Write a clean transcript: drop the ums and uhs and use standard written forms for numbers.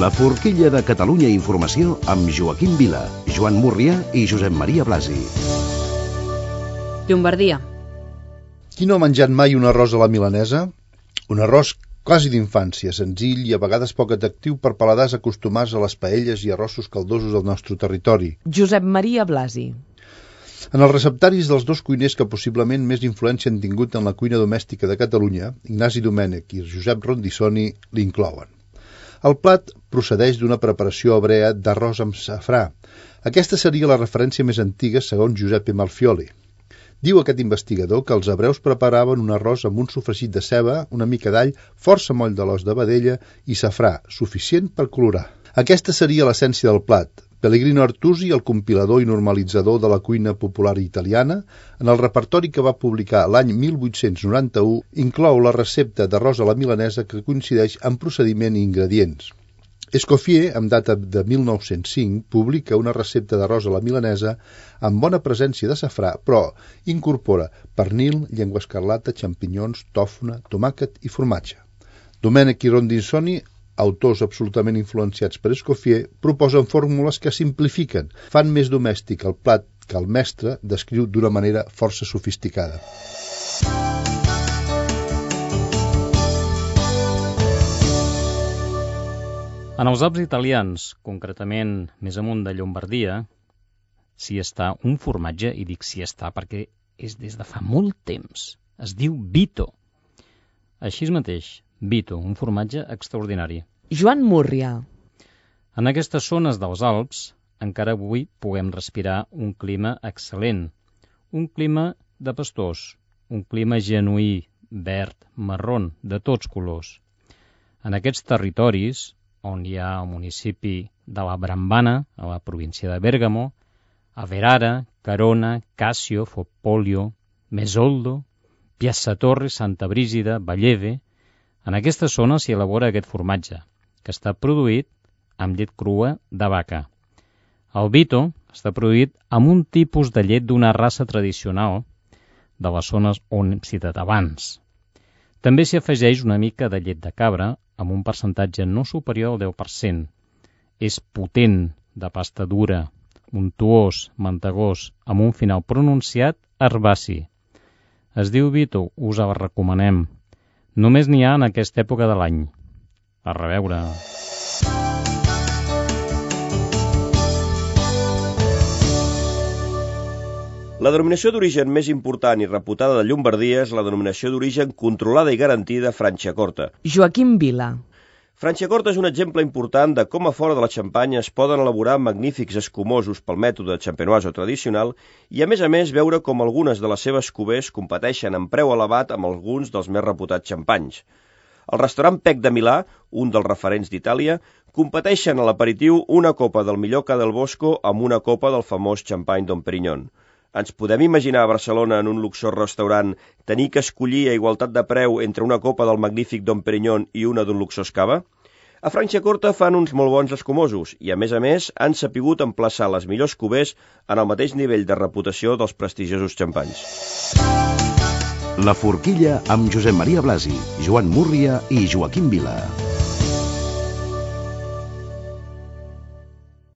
La forquilla de Catalunya Informació amb Joaquim Vila, Joan Múrria i Josep Maria Blasi. Llombardia. Qui no ha menjat mai un arròs a la milanesa? Un arròs quasi d'infància, senzill i a vegades poc atractiu per paladars acostumats a les paelles i arrossos caldosos del nostre territori. Josep Maria Blasi. En els receptaris dels dos cuiners que possiblement més influència han tingut en la cuina domèstica de Catalunya, Ignasi Domènech i Josep Rondissoni, l'inclouen. El plat procedeix d'una preparació hebrea d'arròs amb safrà. Aquesta seria la referència més antiga segons Giuseppe Malfioli. Diu aquest investigador que els hebreus preparaven un arròs amb un sofregit de ceba, una mica d'all, força moll de l'os de vedella i safrà, suficient per colorar. Aquesta seria l'essència del plat. Pellegrino Artusi, el compilador i normalitzador de la cuina popular italiana, en el repertori que va publicar l'any 1891, inclou la recepta d'arròs a la milanesa que coincideix en procediment i ingredients. Escoffier, amb data de 1905, publica una recepta d'arròs a la milanesa amb bona presència de safrà, però incorpora pernil, llengua escarlata, xampinyons, tòfona, tomàquet i formatge. Domènech i Rondissoni, autors absolutament influenciats per Escoffier, proposen fórmules que simplifiquen, fan més domèstic el plat que el mestre descriu d'una manera força sofisticada. En els Alps italians, concretament més amunt de Llombardia, s'hi està un formatge, i dic s'hi està perquè és des de fa molt temps. Es diu Vito. Així mateix, Vito, un formatge extraordinari. Joan Múrria. En aquestes zones dels Alps, encara avui puguem respirar un clima excel·lent. Un clima de pastors, un clima genuí, verd, marrón, de tots colors. En aquests territoris, on hi ha el municipi de la Brambana, a la província de Bèrgamo, Averara, Carona, Cassio, Fopolio, Mesoldo, Piazza Torre, Santa Brígida, Valleve. En aquesta zona s'hi elabora aquest formatge, que està produït amb llet crua de vaca. El Vito està produït amb un tipus de llet d'una raça tradicional de les zones on hem citat abans. També s'hi afegeix una mica de llet de cabra amb un percentatge no superior al 10%. És potent, de pasta dura, untuós, mantegós, amb un final pronunciat herbaci. Es diu Vito, us el recomanem. Només n'hi ha en aquesta època de l'any. A reveure. La denominació d'origen més important i reputada de Llombardia és la denominació d'origen controlada i garantida Franciacorta. Joaquim Vila. Franciacorta és un exemple important de com a fora de la Xampanya es poden elaborar magnífics escumosos pel mètode champenoise tradicional i a més veure com algunes de les seves cuvées competeixen en preu elevat amb alguns dels més reputats xampanys. El restaurant Pec de Milà, un dels referents d'Itàlia, competeixen a l'aperitiu una copa del millor Ca del Bosco amb una copa del famós xampany Dom Perignon. Ens podem imaginar a Barcelona en un luxós restaurant tenir que escollir a igualtat de preu entre una copa del magnífic Dom Perignon i una d'un luxós cava? A Franciacorta fan uns molt bons escumosos i, a més, han sapigut emplaçar les millors cuvées en el mateix nivell de reputació dels prestigiosos xampanys. La forquilla amb Josep Maria Blasi, Joan Múrria i Joaquim Vila.